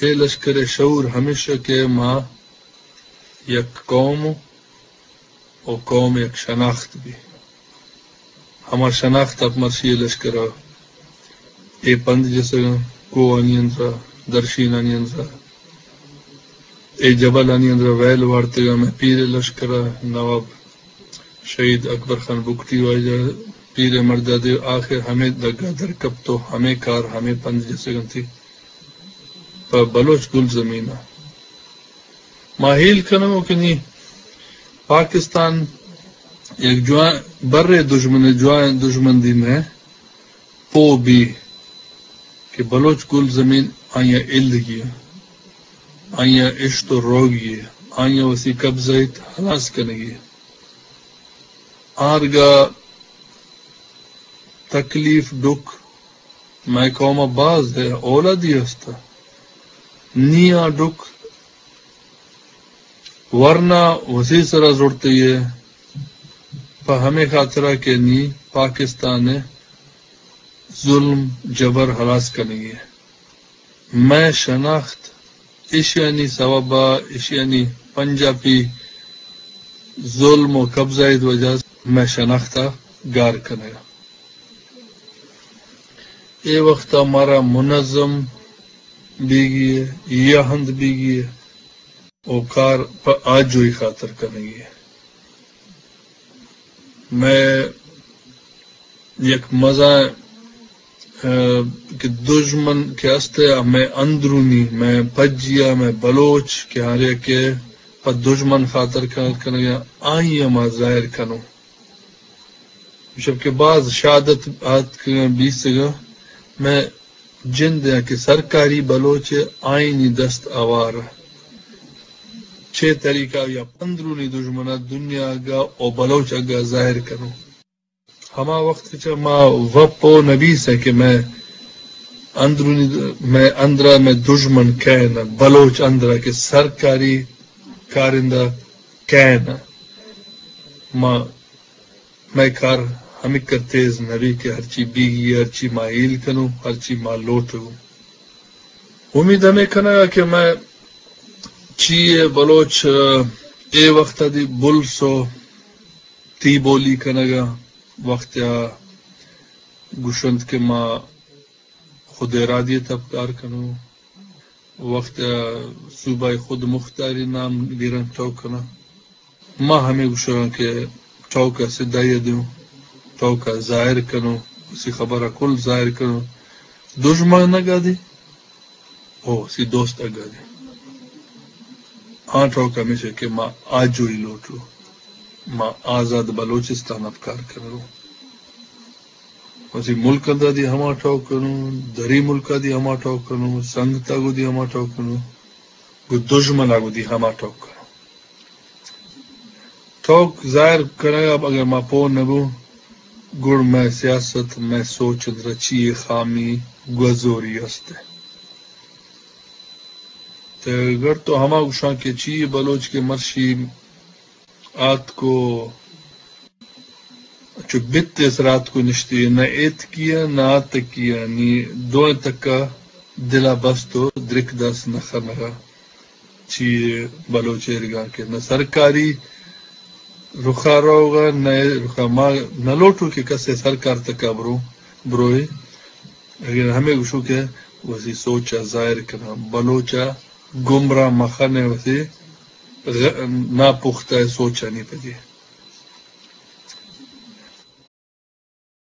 اے لشکر ءِ شعور ہمیش کہ ما یک قوم و قوم یک شناخت بی۔ ہما شناخت ءَ مرشی اے لشکر ءَ اے پند جسگاں، کوہانی اندرا، درشینانی اندرا، اے جبلانی اندرا ویل وارتگاں۔ مئے پیر ءِ لشکر ءَ نواب شہید اکبر خان بگٹی واجہ پیر ءِ مرد ءَ دے آخر ہمے دگا در کپت و ہمے کار، ہمے پند جسگ انتی پہ بلوچ گل زمین ءَ۔ ما ہیل کنگو کہ نی پاکستان یک جوان برے دژمن، جوان دژمن دی مئے پو بی کہ بلوچ گل زمین آئی ءَ الگی، آئی ءَ اشت و روگی، آئی ءَ وسی قبضہ ایت ہلاس کنگی۔ آرگا تکلیف ڈک مئے قوم ءَ باز ہے، اولادی ہست، نی آ ڈک ورنا وسی سرا زڑتی ہے، پہ ہمے خاطرا کہ نی پاکستان ءِ ظلم جبر ہلاس کنگی ہے۔ مئے شناخت ایشانی سوب ءَ، ایشانی پنجاپی ظلم و قبضہ ءِ وجہ ءَ مئے شناخت ءَ گار کنگ ءَ۔ اے وقت ءَ مارا منظم بیگی ہے، یا ہند بیگی ہے، او کار پہ آجوئی خاطر کنگی ہے۔ مئے یک مزن، ءَ، کہ دژمن کہ است ءَ، مئے اندرونی، مئے پجیا، مئے بلوچ کہ ہر یک ءَ پہ دژمن خاطر کار کنگ ءَ، آئی ءَ ما ظاہر کنوں۔ شب کہ باز شہادت آتکگاں، بیسگاں، مئے جند ءَ کہ سرکاری بلوچ ءَ آئینی دست آوار ءَ۔ چے طریقہ یا اندرونی دژمن ءَ دنیا اگا او بلوچ اگا ظاہر کنوں۔ ہما وقت چہ ما وپو نبیس ءَ کہ مئے اندرونی، مئے اندرا مئے دژمن کئے نہ، بلوچ اندرا کہ سرکاری کارندہ کئے نہ۔ ما، مئے کار ہمکہ تیز نبی کہ ہرچی بیگی، ہرچی ما ہیل کنوں، ہرچی ما لوٹوں۔ امید ہمے کنگا کہ مئے چی ءَ بلوچ، ءَ، اے وقت ءَ دی بلس و تی بولی کنگ ءَ وقت ءَ گوشنت کہ ما خود ارادی ءَ تپکار کنوں، وقت ءَ صوبہ خود مختاری نام گرنت ٹوک کناں۔ ما ہمے گوشگاں کہ ٹوک ءَ سدائی ءَ دیوں، ٹوک ءَ ظاہر کنوں، اسی خبر ءَ کل ظاہر کنوں۔ دژمن نہ گادی، او وسی دوست اگا دے۔ آ ٹوک ہمیش کہ ما آجوئی لوٹوں، ما آزاد بلوچستان ءَ پکار کنوں۔ وسی ملک ءَ دی ہما ٹوک کنوں، دری ملک ءَ دی ہما ٹوک کنوں، سنگت ءَ گوں دی ہما ٹوک کنوں، گوں دژمن ءَ گوں دی ہما ٹوک کنوں۔ ٹوک ظاہر کنگ ءَ اگر ما پوہ نہ بوں، گڑ مئے سیاست، مئے سوچ اندرا چی خامی گوزوری است۔ تے گڑ تو ہما گوشاں کہ چی بلوچ کہ مرشی آتکو چو بت ءِ سرا آتکو نشتی، نہ ایتکی ءَ نہ آتکی ءَ، نی دوئیں تک ءَ دل ءَ بست و درک دست نہ خنگ ءَ۔ چی بلوچ ایرگاں کہ نہ سرکاری رخا روگا، نہ رخا ما نہ لوٹوں کہ کسے سرکار تکا برو، بروئے۔ اگر ہمے گوشوں کہ وسی سوچا ظاہر کناں، بلوچا گمراہ مخنے وسی غ-، ناپختہ سوچانی پجے۔